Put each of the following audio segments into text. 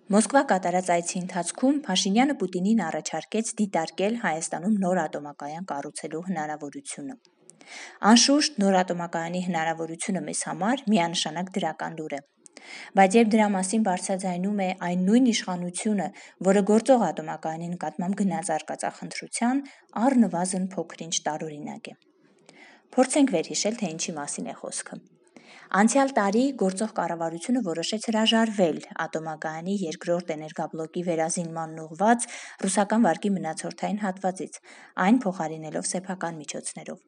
Մոսկվա կատարած այցի ընթացքում Փաշինյանը Պուտինին առաջարկեց դիտարկել Հայաստանում նոր ատոմակայան կառուցելու հնարավորությունը։ Անշուշտ, նոր ատոմակայանի հնարավորությունը մեզ համար միանշանակ դրական լուր է։ Բայց երբ դրա մասին բարձրաձայնում է այն նույն իշխանությունը, որը գործող ատոմակայանի նկատմամբ գնաց արկածախնդրության, առնվազն փոքր-ինչ տարօրինակ է։ Փորձենք վերհիշել, թե ինչի մասին է խոսքը։ Անցյալ տարի գործող կառավարությունը որոշեց հրաժարվել ատոմակայանի երկրորդ էներգաբլոկի վերազինմանն ուղղված ռուսական վարկի մնացորդային հատվածից, այն փոխարինելով սեփական միջոցներով։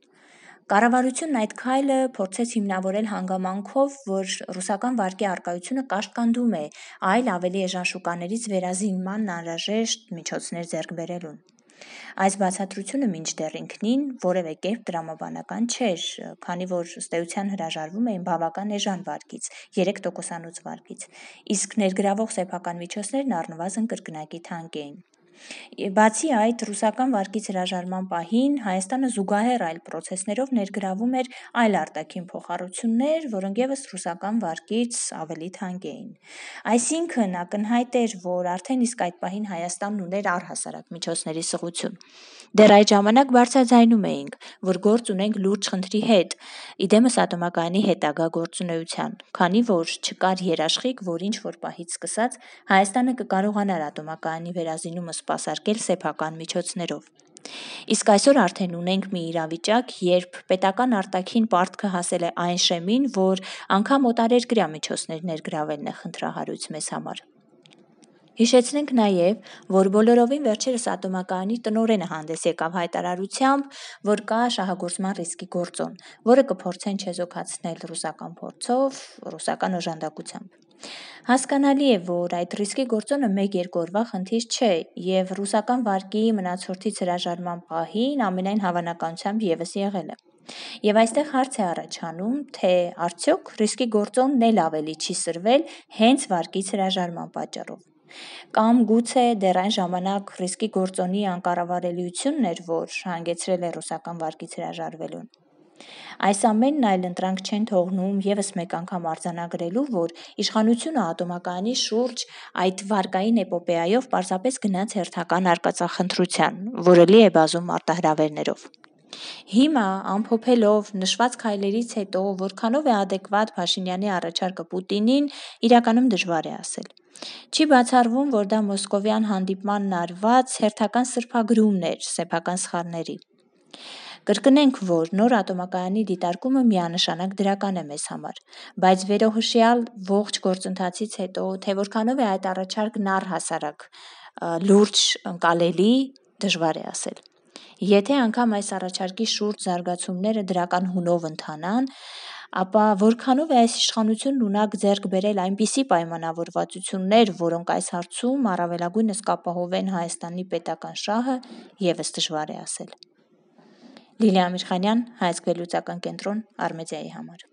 Կառավարությունն այդ քայլը փորձեց հիմնավորել հանգամանքով, որ ռուսական վարկի առկայությունը կաշկանդում է այլ ավելի էժան շուկաներից վերազինմանն անհրաժեշտ միջոցներ ձեռք բերելուն։ Այս բացատրությունը մինչդեռ ինքնին որևէ կերպ տրամաբանական չէր, քանի որ ըստ էության հրաժարվում էին բավական էժան վարկից, 3%-անոց վարկից, իսկ ներգրավող սեփական միջոցներն առնվազն կրկնակի թանկ էին։ Բացի այդ, ռուսական վարկից հրաժարման պահին Հայաստանը զուգահեռ այլ պրոցեսներով ներգրավում էր այլ արտաքին փոխառություններ, որոնք ևս ռուսական վարկից ավելի թանկ էին։ Այսինքն ակնհայտ էր, որ արդեն իսկ այդ պահին Հայաստանն ուներ առհասարակ միջոցների սղություն։ Դեռ այդ ժամանակ բարձրաձայնում էինք, որ գործ ունենք լուրջ խնդրի հետ, իդեմս ատոմակայանի հետագա գործունեության, քանի որ չկար երաշխիք, որ ինչ-որ պահից սկսած Հայաստանը կկարողանար ատոմակայանի վերազինումը սպասարկել սեփական միջոցներով։ Իսկ այսօր արդեն ունենք մի իրավիճակ, երբ պետական արտաքին պարտքը հասել է այն շեմին, որ անգամ օտարերկրյա միջոցներ ներգրավելն է խնդրահարույց մեզ համար։ Հիշեցնենք նաև, որ բոլորովին վերջերս ատոմակայանի տնօրենը հանդես եկավ հայտարարությամբ, որ կա շահագործման ռիսկի գործոն, որը կփորձեն չեզոքացնել ռուսական փորձով, ռուսական օժանդակությամբ։ Հասկանալի է, որ այդ ռիսկի գործոնը 1-2 օրվա խնդիր չէ, եւ ռուսական վարկի մնացորդից հրաժարման պահին ամենայն հավանականությամբ ևս եղել է։ Եվ այստեղ հարց է առաջանում, թե արդյոք ռիսկի գործոնն էլ ավելի չի սրվել հենց վարկից հրաժարման պատճառով։ Կամ գուցե դեռ այն ժամանակ ռիսկի գործոնի անկառավարելիությունն էր, որ հանգեցրել է ռուսական վարկից հրաժարվելուն։ Այս ամենն այլընտրանք չեն թողնում ևս մեկ անգամ արձանագրելու, որ իշխանությունը ատոմակայանի շուրջ այդ վարկային էպոպեայով պարզապես գնաց հերթական արկածախնդրության, որը լի է բազում մարտահրավերներով։ Հիմա, ամփոփելով նշված քայլերից հետո, որքանով է ադեկվատ Փաշինյանի առաջարկը Պուտինին, իրականում դժվար է ասել։ Չի բացառվում, որ դա մոսկովյան հանդիպմանն արված հերթական սրբագրումն էր սեփական սխալների։ Կրկնենք, որ նոր ատոմակայանի դիտարկումը միանշանակ դրական է մեզ համար, բայց վերոհիշյալ ողջ գործընթացից հետո, թե որքանով է այդ առաջարկն առհասարակ լուրջ, ընկալելի, դժվար է ասել։ Եթե անգամ այս առաջարկի շուրջ զարգացումները դրական հունով ընթանան, ապա որքանով է այս իշխանությունն ունակ ձեռք բերել այնպիսի պայմանավորվածություններ, որոնք այս հարցում առավելագույնս կապահովեն Հայաստանի պետական շահը, ևս դժվար է ասել։ Լիլիա Ամիրխանյան, Հայացք վերլուծական կենտրոն, Արմեդիայի համար։